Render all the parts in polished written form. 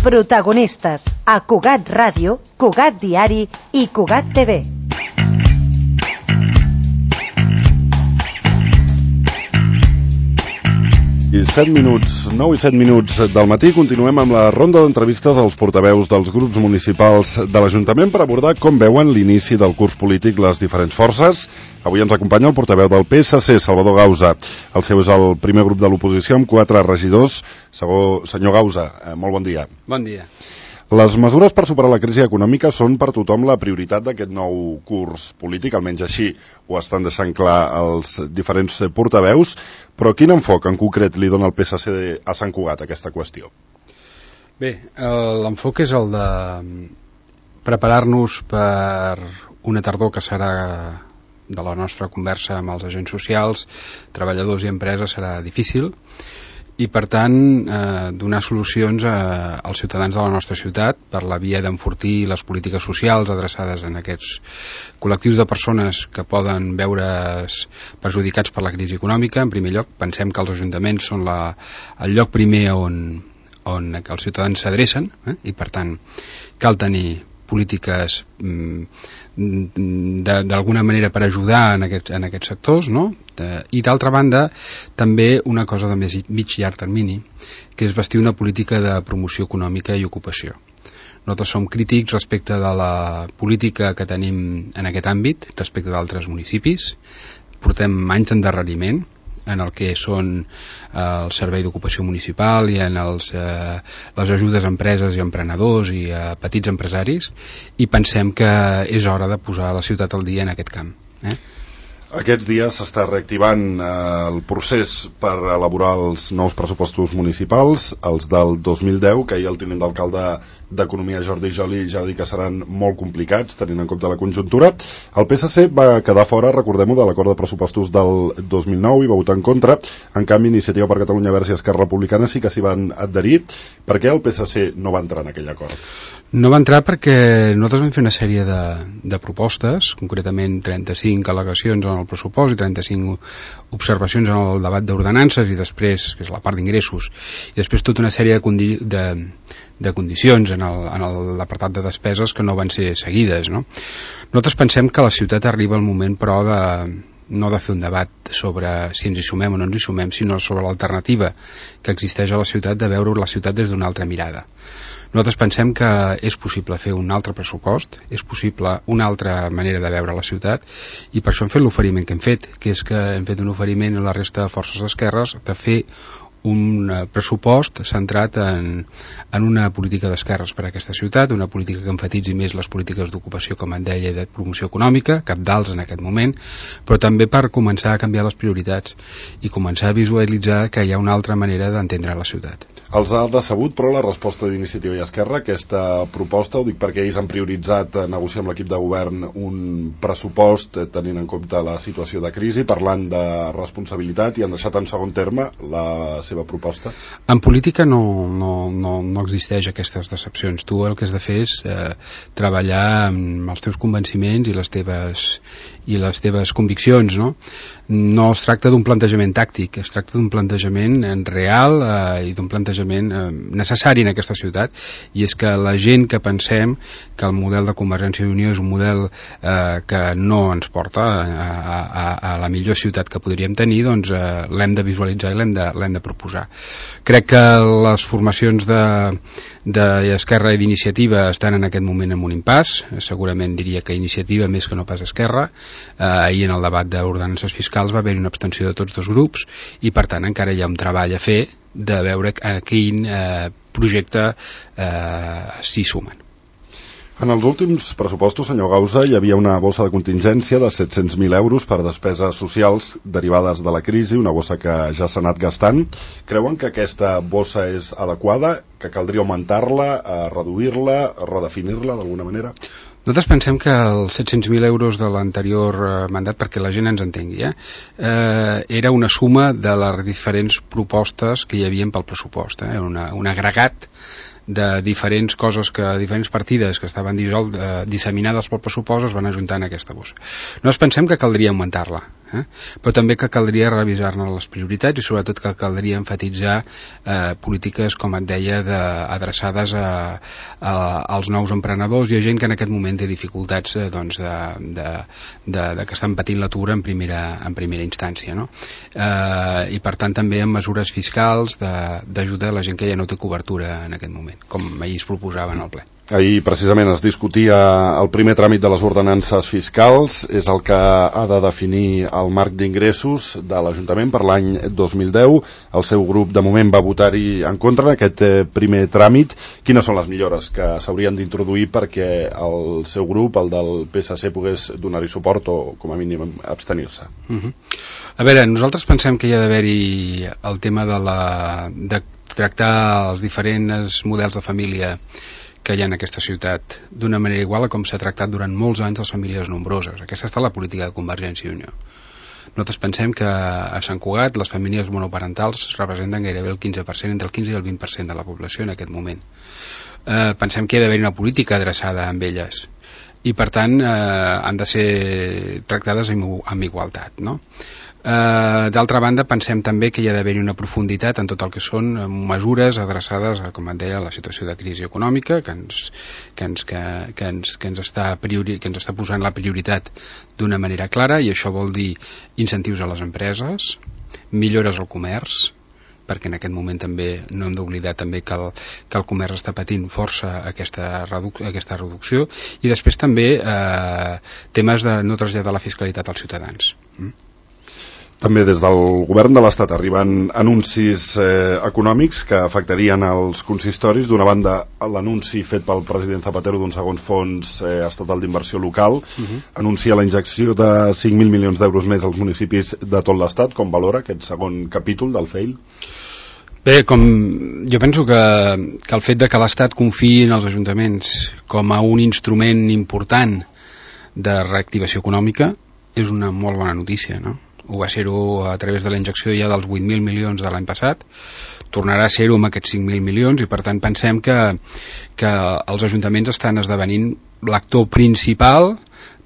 Protagonistes a Cugat Ràdio, Cugat Diari i Cugat TV. I 9 i 7 minuts del matí continuem amb la ronda d'entrevistes als portaveus dels grups municipals de l'Ajuntament per abordar com veuen l'inici del curs polític les diferents forces. Avui ens acompanya el portaveu del PSC, Salvador Gausa. El seu és el primer grup de l'oposició amb 4 regidors. Senyor Gausa, molt bon dia. Bon dia. Les mesures per superar la crisi econòmica són per tothom la prioritat d'aquest nou curs polític, almenys així ho estan deixant clar els diferents portaveus, però quin enfoc en concret li dona el PSC a Sant Cugat a aquesta qüestió? Bé, l'enfoc és el de preparar-nos per una tardor que serà de la nostra conversa amb els agents socials, treballadors i empreses serà difícil, i per tant donar solucions als ciutadans de la nostra ciutat per la via d'enfortir les polítiques socials adreçades en aquests col·lectius de persones que poden veure's perjudicats per la crisi econòmica. En primer lloc, pensem que els ajuntaments són el lloc primer on els ciutadans s'adrecen, i per tant cal tenir polítiques d'alguna manera per ajudar en aquests sectors, no? I d'altra banda també una cosa de mig i llarg termini, que és bastir una política de promoció econòmica i ocupació. Nosaltres som crítics respecte de la política que tenim en aquest àmbit respecte d'altres municipis. Portem anys d'endarreriment en el que són el servei d'ocupació municipal i en les ajudes a empreses i emprenedors i a petits empresaris, i pensem que és hora de posar la ciutat al dia en aquest camp. Aquests dies s'està reactivant el procés per elaborar els nous pressupostos municipals, els del 2010, que ahir el tinent d'alcalde d'Economia, Jordi Joli, ja va dir que seran molt complicats, tenint en compte la conjuntura. El PSC va quedar fora, recordem-ho, de l'acord de pressupostos del 2009 i va votar en contra. En canvi, Iniciativa per Catalunya Verds i Esquerra Republicana sí que s'hi van adherir. Per què el PSC no va entrar en aquell acord? No va entrar perquè nosaltres vam fer una sèrie de propostes, concretament 35 al·legacions en el pressupost i 35 observacions en el debat d'ordenances i després, que és la part d'ingressos, i després tota una sèrie de condicions en l'apartat de despeses que no van ser seguides, no? Nosaltres pensem que la ciutat arriba al moment, però, no de fer un debat sobre si ens hi sumem o no ens hi sumem, sinó sobre l'alternativa que existeix a la ciutat, de veure la ciutat des d'una altra mirada. Nosaltres pensem que és possible fer un altre pressupost, és possible una altra manera de veure la ciutat, i per això hem fet l'oferiment que hem fet, que és que hem fet un oferiment a la resta de forces d'esquerres de fer un pressupost centrat en una política d'esquerres per a aquesta ciutat, una política que enfatitzi més les polítiques d'ocupació, com et deia, i de promoció econòmica, cabdals en aquest moment, però també per començar a canviar les prioritats i començar a visualitzar que hi ha una altra manera d'entendre la ciutat. Els ha decebut, però, la resposta d'Iniciativa i Esquerra, aquesta proposta? Ho dic perquè ells han prioritzat negociar amb l'equip de govern un pressupost tenint en compte la situació de crisi, parlant de responsabilitat, i han deixat en segon terme la seva proposta? En política no existeix aquestes decepcions. Tu el que has de fer és treballar amb els teus convenciments i les teves conviccions, no? No es tracta d'un plantejament tàctic, es tracta d'un plantejament real i d'un plantejament necessari en aquesta ciutat, i és que la gent que pensem que el model de Convergència i Unió és un model que no ens porta a la millor ciutat que podríem tenir, doncs l'hem de visualitzar i l'hem de proposar. Crec que les formacions d'Esquerra i d'Iniciativa estan en aquest moment en un impàs. Segurament diria que Iniciativa més que no pas Esquerra. Ahir en el debat d'ordenances fiscals va haver-hi una abstenció de tots dos grups, i per tant encara hi ha un treball a fer de veure a quin projecte s'hi sumen. En els últims pressupostos, senyor Gausa, hi havia una bossa de contingència de 700.000 euros per despeses socials derivades de la crisi, una bossa que ja s'ha anat gastant. Creuen que aquesta bossa és adequada, que caldria augmentar-la, reduir-la, redefinir-la d'alguna manera? Nosaltres pensem que els 700.000 euros de l'anterior mandat, perquè la gent ens entengui, era una suma de les diferents propostes que hi havia pel pressupost, un agregat de diferents coses, diferents partides que estaven disseminades pel pressupost es van ajuntar en aquesta bossa. Nosaltres pensem que caldria augmentar-la, però també que caldria revisar-ne les prioritats i sobretot que caldria enfatitzar polítiques, com et deia, adreçades als nous emprenedors i a gent que en aquest moment té dificultats que estan patint l'atur en primera instància, no? I per tant també amb mesures fiscals d'ajuda a la gent que ja no té cobertura en aquest moment, com ahir es proposava en el ple. Ahir precisament es discutia el primer tràmit de les ordenances fiscals, és el que ha de definir el marc d'ingressos de l'Ajuntament per l'any 2010. El seu grup de moment va votar-hi en contra d'aquest primer tràmit. Quines són les millores que s'haurien d'introduir perquè el seu grup, el del PSC, pogués donar-hi suport o com a mínim abstenir-se? A veure, nosaltres pensem que hi ha d'haver-hi el tema de tractar els diferents models de família que hi ha en aquesta ciutat d'una manera igual a com s'ha tractat durant molts anys les famílies nombroses. Aquesta ha estat la política de Convergència i Unió. Nosaltres pensem que a Sant Cugat les famílies monoparentals representen gairebé el 15%, entre el 15 i el 20% de la població en aquest moment. Pensem que hi ha d'haver una política adreçada amb elles i per tant han de ser tractades amb igualtat, no? D'altra banda, pensem també que hi ha d'haver una profunditat en tot el que són mesures adreçades, com et deia, a la situació de crisi econòmica que ens està posant la prioritat d'una manera clara, i això vol dir incentius a les empreses, millores al comerç, perquè en aquest moment també no hem d'oblidar també que el comerç està patint força aquesta reducció, i després també temes de no traslladar la fiscalitat als ciutadans. També des del govern de l'Estat arriben anuncis econòmics que afectarien els consistoris. D'una banda, l'anunci fet pel president Zapatero d'un segon fons estatal d'inversió local anuncia la injecció de 5.000 milions d'euros més als municipis de tot l'Estat. Com valora aquest segon capítol del FEIL? Bé, jo penso que el fet de que l'Estat confiï en els ajuntaments com a un instrument important de reactivació econòmica és una molt bona notícia, no? Ho va ser-ho a través de la injecció ja dels 8.000 milions de l'any passat, tornarà a ser-ho amb aquests 5.000 milions, i per tant pensem que els ajuntaments estan esdevenint l'actor principal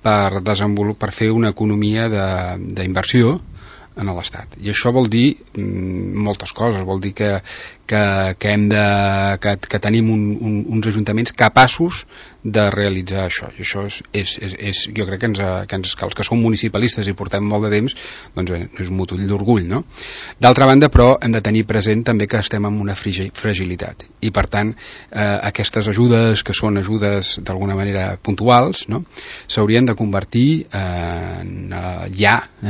per fer una economia d'inversió en l'Estat. I això vol dir moltes coses. Vol dir que tenim uns ajuntaments capaços de realitzar això, i això jo crec que els que som municipalistes i portem molt de temps, doncs bé, és un motiu d'orgull, no? D'altra banda, però, hem de tenir present també que estem en una fragilitat, i per tant aquestes ajudes, que són ajudes d'alguna manera puntuals, no?, s'haurien de convertir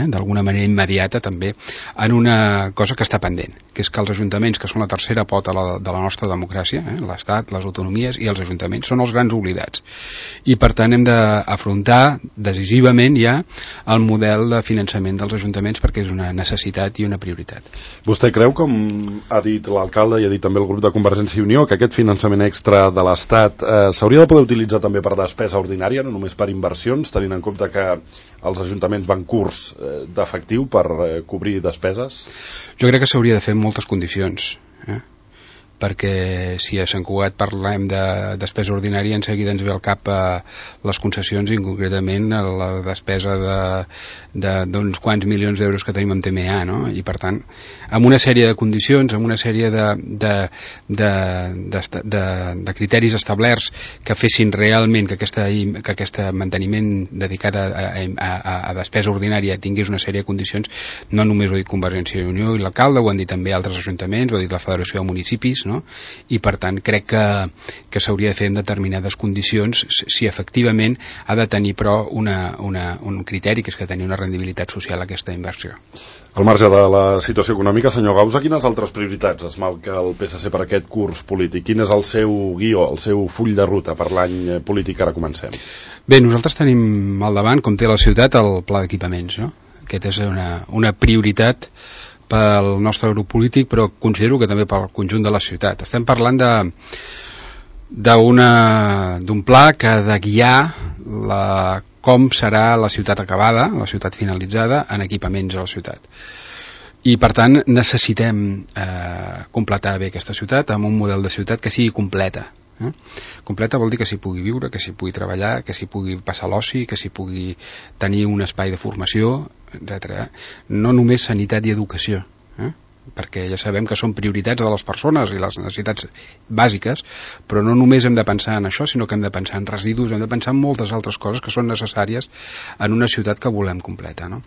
d'alguna manera immediata també en una cosa que està pendent, que és que els ajuntaments, que són la tercera pota de la nostra democràcia, l'Estat, les autonomies i els ajuntaments, són els grans oblidats, i per tant hem d'afrontar decisivament ja el model de finançament dels ajuntaments, perquè és una necessitat i una prioritat. Vostè creu, com ha dit l'alcalde i ha dit també el grup de Convergència i Unió, que aquest finançament extra de l'Estat s'hauria de poder utilitzar també per despesa ordinària, no només per inversions, tenint en compte que els ajuntaments van curts d'efectiu per cobrir despeses? Jo crec que s'hauria de fer en moltes condicions, perquè si a Sant Cugat parlem de despesa ordinària, en seguida ens ve al cap les concessions, i concretament la despesa d'uns quants milions d'euros que tenim amb TMA, no? I per tant, amb una sèrie de condicions, amb una sèrie de criteris establerts que fessin realment que aquest manteniment dedicat a despesa ordinària tingués una sèrie de condicions, no només ho ha dit Convergència i Unió i l'alcalde, ho han dit també altres ajuntaments, ho ha dit la Federació de Municipis, no? I per tant crec que s'hauria de fer en determinades condicions, si efectivament ha de tenir però un criteri, que és que tenir una rendibilitat social aquesta inversió. Al marge de la situació econòmica, senyor Gausa, quines altres prioritats es marca el PSC per aquest curs polític? Quin és el seu guió, el seu full de ruta per l'any polític que ara comencem? Bé, nosaltres tenim al davant, com té la ciutat, el pla d'equipaments, no? Aquest és una prioritat pel nostre grup polític, però considero que també pel conjunt de la ciutat. Estem parlant d'un pla que ha de guiar com serà la ciutat acabada, la ciutat finalitzada, en equipaments a la ciutat. I per tant necessitem completar bé aquesta ciutat amb un model de ciutat que sigui completa. Completa vol dir que s'hi pugui viure, que s'hi pugui treballar, que s'hi pugui passar l'oci, que s'hi pugui tenir un espai de formació, etc. No només sanitat i educació, perquè ja sabem que són prioritats de les persones i les necessitats bàsiques, però no només hem de pensar en això, sinó que hem de pensar en residus, hem de pensar en moltes altres coses que són necessàries en una ciutat que volem completa, no?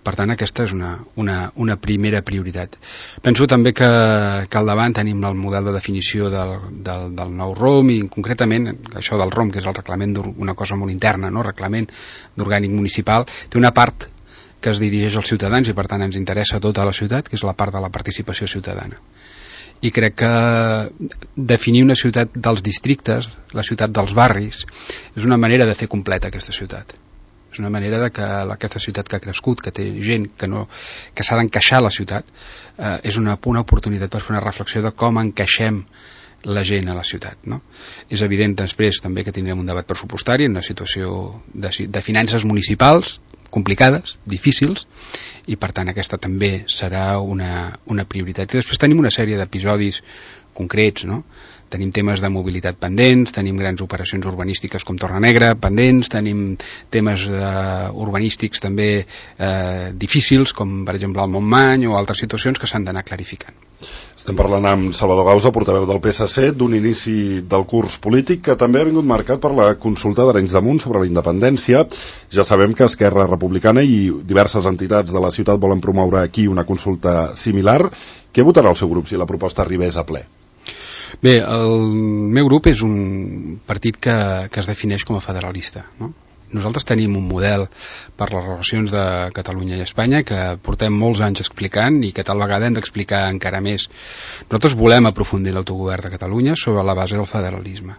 Per tant, aquesta és una primera prioritat. Penso també que al davant tenim el model de definició del nou ROM, i concretament això del ROM, que és el reglament d'una cosa molt interna, no? Reglament d'orgànic municipal, té una part que es dirigeix als ciutadans i per tant ens interessa tota la ciutat, que és la part de la participació ciutadana. I crec que definir una ciutat dels districtes, la ciutat dels barris, és una manera de fer completa aquesta ciutat. És una manera de que aquesta ciutat que ha crescut, que té gent que s'ha d'encaixar a la ciutat, és una oportunitat per fer una reflexió de com encaixem la gent a la ciutat, no? És evident després també que tindrem un debat pressupostari en una situació de finances municipals complicades, difícils, i per tant aquesta també serà una prioritat. I després tenim una sèrie d'episodis concrets, no? Tenim temes de mobilitat pendents, tenim grans operacions urbanístiques com Torrenegra pendents, tenim temes urbanístics també difícils, com per exemple el Montmany o altres situacions que s'han d'anar clarificant. Estem parlant amb Salvador Gausa, portaveu del PSC, d'un inici del curs polític que també ha vingut marcat per la consulta d'Arenys de Munt sobre la independència. Ja sabem que Esquerra Republicana i diverses entitats de la ciutat volen promoure aquí una consulta similar. Què votarà el seu grup si la proposta arribés a ple? Bé, el meu grup és un partit que es defineix com a federalista, no? Nosaltres tenim un model per les relacions de Catalunya i Espanya que portem molts anys explicant i que tal vegada hem d'explicar encara més. Nosaltres volem aprofundir l'autogovern de Catalunya sobre la base del federalisme,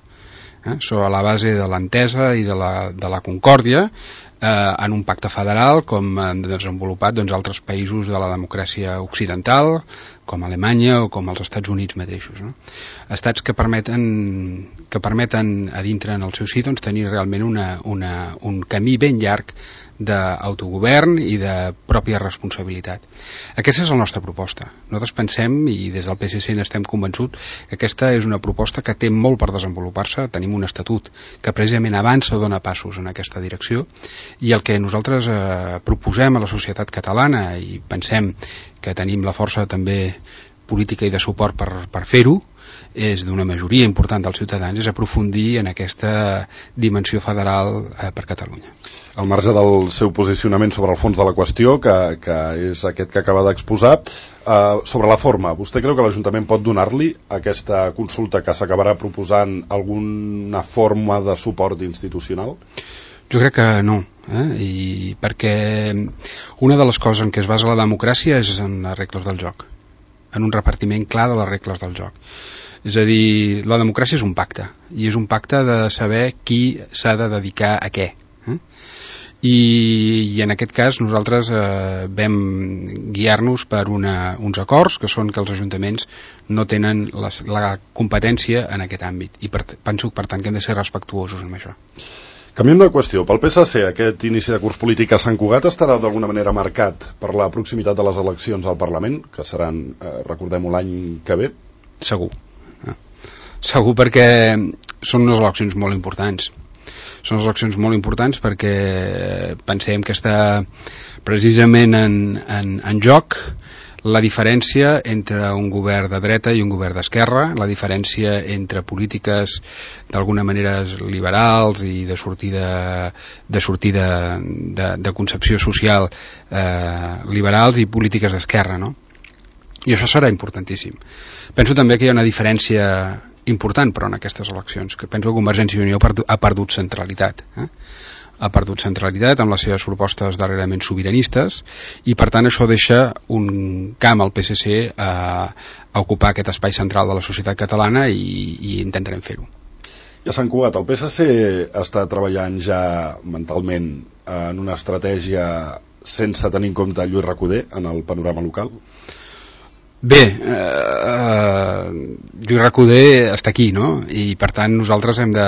sobre la base de l'entesa i de la concòrdia en un pacte federal com han desenvolupat altres països de la democràcia occidental, com Alemanya o com els Estats Units mateixos, no? Estats que permeten a dintre en el seu si tenir realment un camí ben llarg d'autogovern i de pròpia responsabilitat. Aquesta és la nostra proposta. Nosaltres pensem, i des del PSC n'estem convençuts, que aquesta és una proposta que té molt per desenvolupar-se. Tenim un estatut que precisament avança o dona passos en aquesta direcció, i el que nosaltres proposem a la societat catalana, i pensem que tenim la força també política i de suport per fer-ho, és d'una majoria important dels ciutadans, és aprofundir en aquesta dimensió federal per Catalunya. Al marge del seu posicionament sobre el fons de la qüestió, que és aquest que acaba d'exposar, sobre la forma, vostè creu que l'Ajuntament pot donar-li aquesta consulta que s'acabarà proposant alguna forma de suport institucional? Jo crec que no, i perquè una de les coses en què es basa la democràcia és en les regles del joc, en un repartiment clar de les regles del joc. És a dir, la democràcia és un pacte, i és un pacte de saber qui s'ha de dedicar a què. I en aquest cas nosaltres vam guiar-nos per uns acords que són que els ajuntaments no tenen la competència en aquest àmbit, i penso per tant que hem de ser respectuosos amb això. Canviem de qüestió. Pel PSC, aquest inici de curs polític a Sant Cugat estarà d'alguna manera marcat per la proximitat de les eleccions al Parlament, que seran, recordem-ho, l'any que ve? Segur. Segur, perquè són unes eleccions molt importants. Són unes eleccions molt importants perquè pensem que està precisament en joc la diferència entre un govern de dreta i un govern d'esquerra, la diferència entre polítiques d'alguna manera liberals i de sortida de concepció social liberals i polítiques d'esquerra, no? I això serà importantíssim. Penso també que hi ha una diferència important, però, en aquestes eleccions, que penso que Convergència i Unió ha perdut centralitat. Ha perdut centralitat amb les seves propostes darrerament sobiranistes, i per tant això deixa un camp al PSC a ocupar aquest espai central de la societat catalana, i intentarem fer-ho. I a Sant Cugat, el PSC està treballant ja mentalment en una estratègia sense tenir en compte Lluís Recoder en el panorama local? Bé, Lluís Recoder està aquí, no? I per tant nosaltres hem de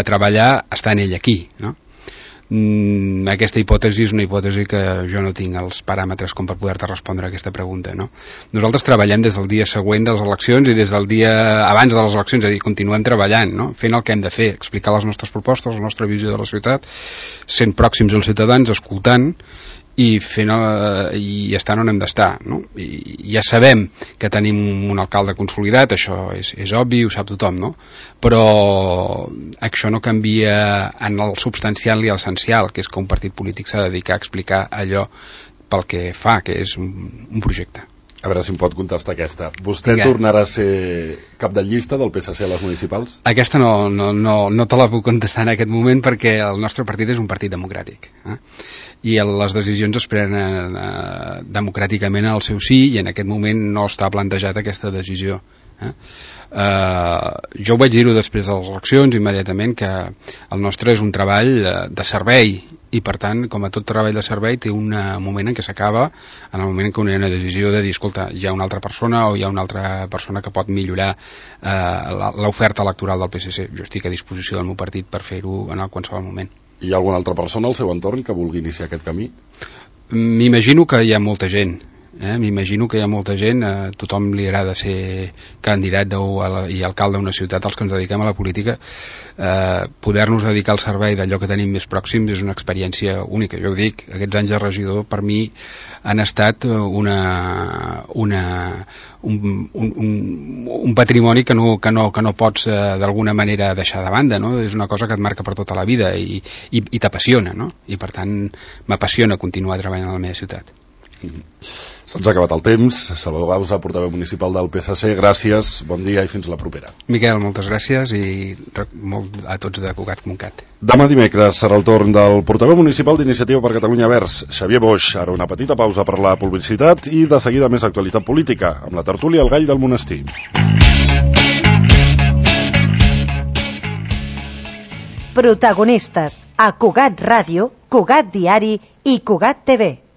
treballar estant ell aquí, no? Aquesta hipòtesi és una hipòtesi que jo no tinc els paràmetres com per poder-te respondre a aquesta pregunta, no? Nosaltres treballem des del dia següent de les eleccions i des del dia abans de les eleccions, és a dir, continuem treballant, no? Fent el que hem de fer, explicar les nostres propostes, la nostra visió de la ciutat, sent pròxims als ciutadans, escoltant i estant on hem d'estar, no? I ja sabem que tenim un alcalde consolidat, això és obvi, ho sap tothom, no? Però això no canvia en el substancial i l'essencial, que és que un partit polític s'ha de dedicar a explicar allò pel que fa, que és un projecte. A veure si em pot contestar aquesta. Vostè tornarà a ser cap de llista del PSC a les municipals? Aquesta no te la puc contestar en aquest moment perquè el nostre partit és un partit democràtic. I les decisions es prenen democràticament al seu sí i en aquest moment no està plantejat aquesta decisió. Jo ho vaig dir-ho després de les eleccions immediatament, que el nostre és un treball de servei i per tant, com a tot treball de servei, té un moment en què s'acaba, en el moment en què hi ha una decisió de dir, escolta, hi ha una altra persona o hi ha una altra persona que pot millorar l'oferta electoral del PSC. Jo estic a disposició del meu partit per fer-ho en qualsevol moment. Hi ha alguna altra persona al seu entorn que vulgui iniciar aquest camí? M'imagino que hi ha molta gent. M'imagino que hi ha molta gent, tothom li agrada ser candidat i alcalde d'una ciutat. Els que ens dediquem a la política, poder-nos dedicar al servei d'allò que tenim més pròxims és una experiència única. Jo ho dic, aquests anys de regidor per mi han estat un patrimoni que no pots d'alguna manera deixar de banda, no? És una cosa que et marca per tota la vida i t'apassiona, no? I per tant m'apassiona continuar treballant a la meva ciutat. Se'ns ha acabat el temps. Salvador Bausa, portaveu municipal del PSC, gràcies, bon dia i fins la propera. Miquel, moltes gràcies i molt a tots de Cugat.cat. Demà dimecres serà el torn del portaveu municipal d'Iniciativa per Catalunya Verds, Xavier Boix. Ara una petita pausa per la publicitat i de seguida més actualitat política, amb la tertúlia El Gall del Monestir. Protagonistes a Cugat Ràdio, Cugat Diari i Cugat TV.